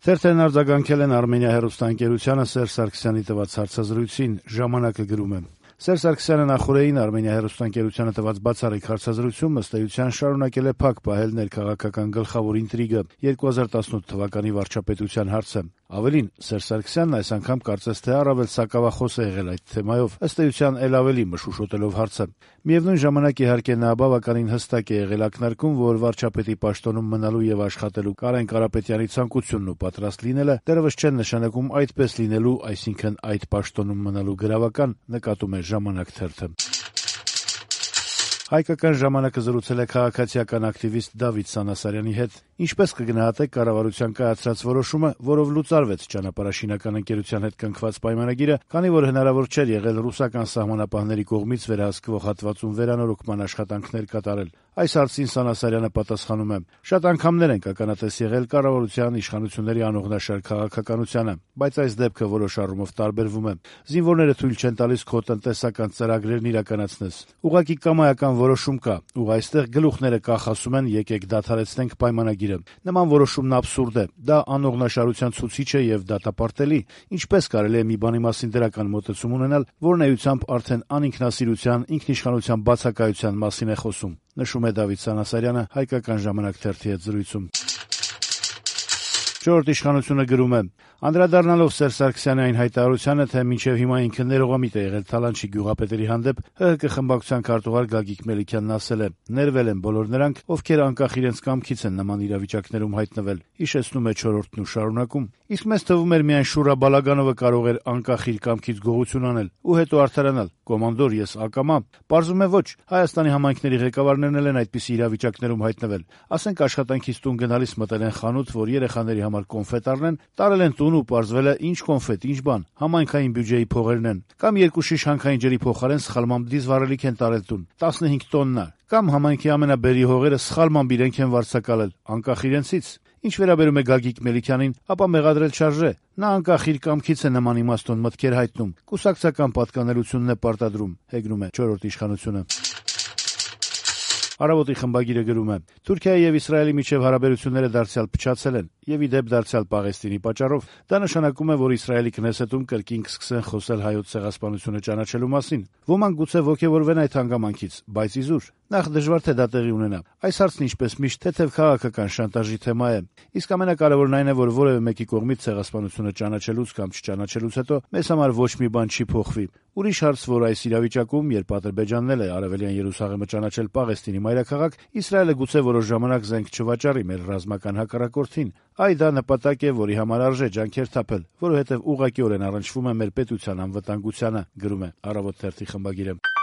Թերթերն արձագանքել են Արմենիա հեռուստաընկերությանը Սերժ Սարգսյանի տված հարցազրույցին, ժամանակը գրում է. Սերժ Սարգսյանը նախորդին Արմենիա հեռուստաընկերությանը տված բացառիկ հարցազրույցում ըստ էության շարունակել է փակ պահել ներքաղաքական գլխավոր ինտրիգը 2018 թվականի վարչապետության հարցը։ Ավելին, Սերժ Սարգսյանն այս անգամ կարծես թե առավել սակավախոս է եղել այդ թեմայով, ըստ էության էլ ավելի մշուշոտելով հարցը։ Միևնույն ժամանակ, իհարկե, նա բավականին հստակ է եղել ակնարկում, որ վարչապետի պաշտոնում մնալու եւ աշխատելու Կարեն Կարապետյանի ցանկությունն ու պատրաստ լինելը դեռևս չեն նշանակում այդպես լինելու, այսինքն այդ պաշտոնում մնալու գրավական, նկատում է «Ժամանակ» թերթը։ Հայկական ժամանակը զրուցել է քաղաքացիական ակտիվիստ Դավիթ Սանասարյանի հետ։ Ինչպես կգնահատեք կառավարության կայացրած որոշումը, որով լուծարվեց ճանապարհաշինական ընկերության հետ կնքված պայմանագիրը, քանի որ հնարավոր չէր եղել ռուսական սահմանապահների կողմից վերահսկվող հատվածում վերանորոգման աշխատանքներ կատարել։ Այս հարցին Սանասարյանը պատասխանում է. «Շատ անգամներ ենք ականատես եղել կառավարության իշխանությունների անողնաշար քաղաքականությանը, բայց այս դեպքը որոշ առումով տարբերվում է։ Զինվորները թույլ չեն տալիս քո տնտեսական ծրագրերն իրականացնես։ Ուղղակի կամայական որոշում կա, ու այստեղ գլուխները կախ ասում են եկեք դադարեցնենք պայմանագիրը։ Նման որոշումն աբսուրդ է, դա անողնաշարության ցուցիչ է եւ դատապարտելի։ Ինչպես կարելի է մի բանի մասին դրական մոտեցում ունենալ, որն էությամբ արդեն անինքնասիրության, ինքնիշխանության բացակայության մասին է խոսում», նշում է Դավիթ Սանասարյանը Հայկական ժամանակ թերթի հետ զրույցում։ «Չորրորդ իշխանությունը» գրում է. «Անդրադառնալով Սերժ Սարգսյանի այն հայտարարությանը, թե մինչև հիմա ինքը ներողամիտ է եղել Թալանչի գյուղապետերի հանդեպ, ՀՀԿ խմբակցության քարտուղար Գագիկ Մելիքյանն ասել է. «Ներվել են բոլոր նրանք, ովքեր անկախ իրենց կամքից են նման իրավիճակներում հայտնվել», հիշեցնում է Չորրորդն ու շարունակում. «Իսկ մեզ թվում էր միայն Շուրա Բալագանովը կարող էր անկախ իր կամքից գողություն անել ու հետո արդարանալ. կոմանդոր, ես ակամա։ Պարզվում է ոչ, Հայաստանի համայնքների ղեկավարներն էլ են այդպիսի իրավիճակներում հայտնվել։ Ասենք աշխատանքից տուն գնալիս մտել են խանութ, որ երեխաների համար կոնֆետ առնեն, տարել են տուն ու պարզվել է ինչ կոնֆետ, ինչ բան, համայնքային բյուջեի փողերն են։ Կամ երկու շիշ հանքային ջրի փոխարեն սխալմամբ դիզվառելիք են տարել տուն, 15 տոննա։ Կամ համայնքի ամենաբերի հողերը սխալմամբ իրենք են վարձակալել, անկախ իրենցից։ Ինչ վերաբերում է Գագիկ Մելիքյանին, ապա մեղադրել չարժե։ Նա անկախ իր կամքից է նման իմաստուն մտքեր հայտնում, կուսակցական պատկանելությունն է պարտադրում», հեգնում է Չորրորդ իշխանությունը։ Առավոտի խմբագիրը գրում է. «Թուրքիայի եւ Իսրայելի միջև հարաբերությունները դարձյալ փչացել են եւ ի դեպ դարձյալ Պաղեստինի պատճառով։ Դա նշանակում է, որ Իսրայելի Քնեսեթում կրկին կսկսեն խոսել հայոց ցեղասպանությունը ճանաչելու մասին։ Ոմանք գուցե ոգևորվեն այդ հանգամանքից, բայց իզուր։ Նախ դժվար թե դա տեղի ունենա։ Այս հարցն ինչպես միշտ թեթև քաղաքական շանտաժի թեմա է։ Իսկ ամենակարևորն այն է, որ որևէ մեկի կողմից ցեղասպանությունը ճանաչելուց կամ չճանաչելուց հետո մեզ համար ոչ մի բան չի փոխվի։ Ուրիշ հարց, որ այս իրավիճակում, երբ Ադրբեջանն էլ է Արևելյան Երուսաղեմը ճանաչել Պաղեստինի մայրաքաղաք, Իսրայելը գուցե որոշ ժամանակ զենք չվաճառի մեր ռազմական հակառակորդին։ Այ դա նպատակ է, որի համար արժե ջանքեր թափել, որովհետև ուղղակիորեն առնչվում է մեր պետության անվտանգությանը», գրում է Առավոտ թերթի խմբագիրը։